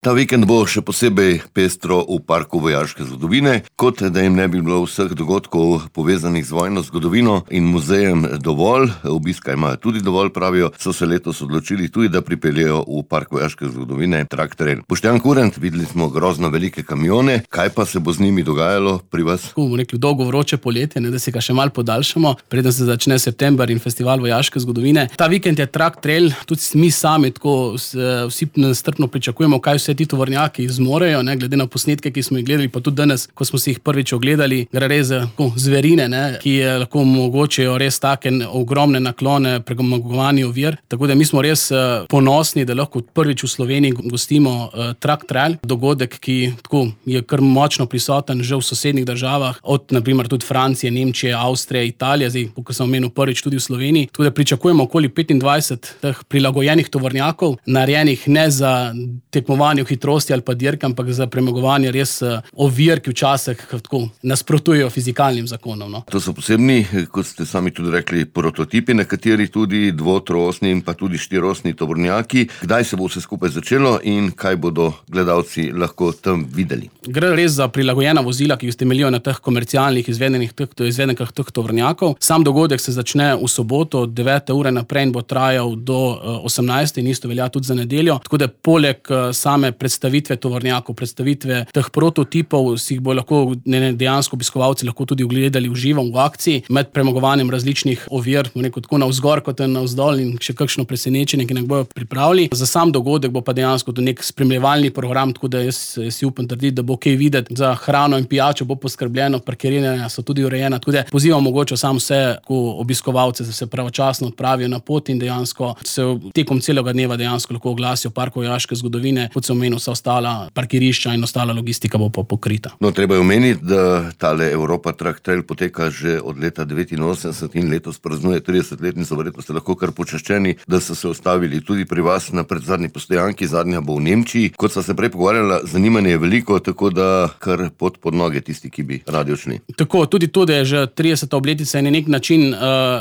Ta vikend bo še posebej pestro v Parku vojaške zgodovine, kot da jim ne bi bilo vseh dogodkov povezanih z vojno zgodovino in muzejem dovolj, obiska imajo tudi dovolj, pravijo, so se letos odločili tudi, da pripeljejo v Park vojaške zgodovine traktorje. Boštjan Kurent, videli smo grozno velike kamione, kaj pa se bo z njimi dogajalo pri vas? Bomo rekli dolgo vroče poletje, da si ga še malo podaljšamo, preden se začne september in festival vojaške zgodovine. Ta vikend je Truck Trail, tudi mi sami tako vsi nestrpno pričakujemo, kaj vse ti tovornjaki zmorejo, glede na posnetke, ki smo jih gledali, pa tudi danes, ko smo si jih prvič ogledali, gre res za zverine, ki lahko omogočajo res take ogromne naklone, premagovanje ovir. Tako da mi smo res ponosni, da lahko prvič v Sloveniji gostimo Truck Trail, dogodek, ki tako je kar močno prisoten že v sosednjih državah, od naprimer tudi Francije, Nemčije, Avstrije, Italije, zdaj, kot sem omenil, prvič tudi v Sloveniji. Tako da pričakujemo okoli 25 teh prilagojenih tovornjakov, narejenih ne za tekmovanje v hitrosti ali pa dirke, ampak za premagovanje res ovir, ki včasih tako nasprotujejo fizikalnim zakonom. No. To so posebni, kot ste sami tudi rekli, prototipi, nekateri tudi dvotroosni in pa tudi štirosni tovornjaki. Kdaj se bo vse skupaj začelo in kaj bodo gledalci lahko tam videli? Gre res za prilagojena vozila, ki temeljijo na teh komercialnih izvedenkah teh tovornjakov. Sam dogodek se začne v soboto od 9. ure naprej in bo trajal do 18. in isto velja tudi za nedeljo. Tako da poleg same predstavitve tovornjakov, predstavitve teh prototipov, si jih bo lahko dejansko obiskovalci lahko tudi ogledali v živo v akciji, med premagovanjem različnih ovir, tako navzgor kot navzdol in še kakšno presenečenje, ki nas bojo pripravili. Za sam dogodek bo pa dejansko nek spremljevalni program, tako da jaz si upam trditi, da bo kaj videti. Za hrano in pijačo bo poskrbljeno, parkiranja so tudi urejena, tako da pozivam mogoče sam vse obiskovalce, da se pravočasno odpravijo na pot in dejansko se tekom celega dneva dejansko lahko oglasijo v Parku vojaške zgodovine, kot se omenil, vsa ostala parkirišča in ostala logistika bo pa pokrita. No, treba je omeniti, da tale Europa Truck Trail poteka že od leta 1989 in letos praznuje 30-letnico, verjetno ste lahko kar počaščeni, da so se ustavili tudi pri vas na predzadnji postojanki, zadnja bo v Nemčiji. Kot sva se prej pogovarjala, zanimanje je veliko, tako da kar pod noge tisti, ki bi radi odšli. Tako, tudi to, da je že 30. obletnica in na nek način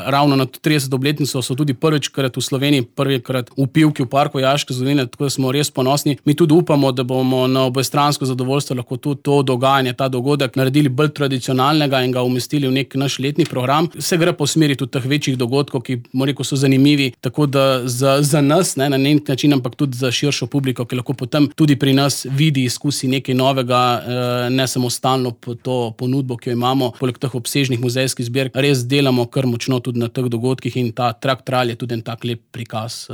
ravno na 30. obletnico so tudi prvičkrat v Sloveniji, prvikrat v Pivki v Parku vojaške zgodovine, tako da smo res ponosni. Mi tudi upamo, da bomo na obojestransko zadovoljstvo lahko tudi to dogajanje, ta dogodek naredili bolj tradicionalnega in ga umestili v nek naš letni program. Se gre po smeri tudi teh večjih dogodkov, ki so zanimivi, tako da za nas, na nek način, ampak tudi za širšo publiko, ki lahko potem tudi pri nas vidi, izkusi nekaj novega, ne samo stalno to ponudbo, ki jo imamo, poleg teh obsežnih muzejskih zbirk, res delamo kar močno tudi na teh dogodkih in ta Truck Trail je tudi en tak lep prikaz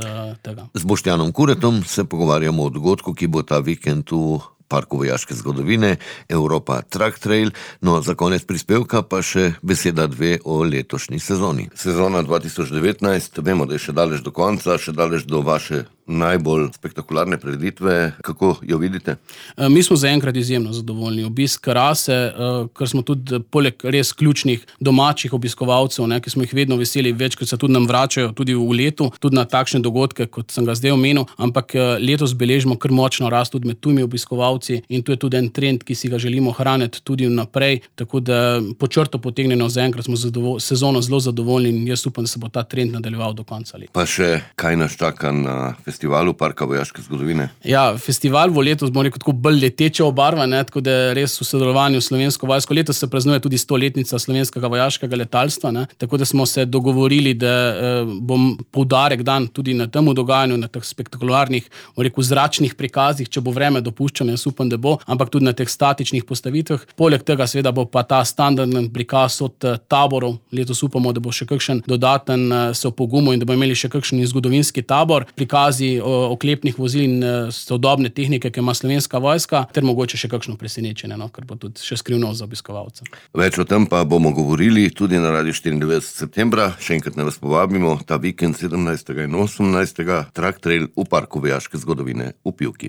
tega. Z Boštjanom Kuretom se pogovarjamo o dogodku, ki bo ta vikend v Parku vojaške zgodovine, Europa Truck Trail. No, za konec prispevka pa še beseda dve o letošnji sezoni. Sezona 2019, vemo, da je še daleč do konca, še daleč do vaše najbolj spektakularne prireditve. Kako jo vidite? Mi smo zaenkrat izjemno zadovoljni. Obisk rase, ker smo tudi poleg res ključnih domačih obiskovalcev, ki smo jih vedno veseli, večkrat se tudi nam vračajo tudi v letu, tudi na takšne dogodke, kot sem ga zdaj omenil, ampak letos beležimo kar močno rast tudi med tujimi obiskovalci in to je tudi en trend, ki si ga želimo hraniti tudi naprej, tako da po črto potegnjeno zaenkrat smo sezono zelo zadovoljni in jaz upam, da se bo ta trend nadaljeval do konca leta. Pa še kaj nas čaka na festivalu Parka vojaške zgodovine? Ja, festival bo letos, bomo rekel, tako bolj leteče obarvan, tako da res v sodelovanju s Slovensko vojsko. Letos se praznuje tudi 100-letnica slovenskega vojaškega letalstva, tako da smo se dogovorili, da bom poudarek dan tudi na temu dogajanju, na teh spektakularnih, bomo rekel, zračnih prikazih, če bo vreme dopuščeno, jaz upam, da bo, ampak tudi na teh statičnih postavitvah. Poleg tega seveda bo pa ta standardni prikaz od taborov. Letos upamo, da bo še kakšen dodaten se opogumil in da bo imeli še kakšen zgodovinski tabor, prikazi oklepnih vozil in sodobne tehnike, ki ima Slovenska vojska, ter mogoče še kakšno presenečenje, kar bo tudi še skrivnost za obiskovalce. Več o tem pa bomo govorili tudi na Radiu 94 septembra. Še enkrat ne vas povabimo, ta vikend 17. in 18. Truck Trail v Parku vojaške zgodovine v Pivki.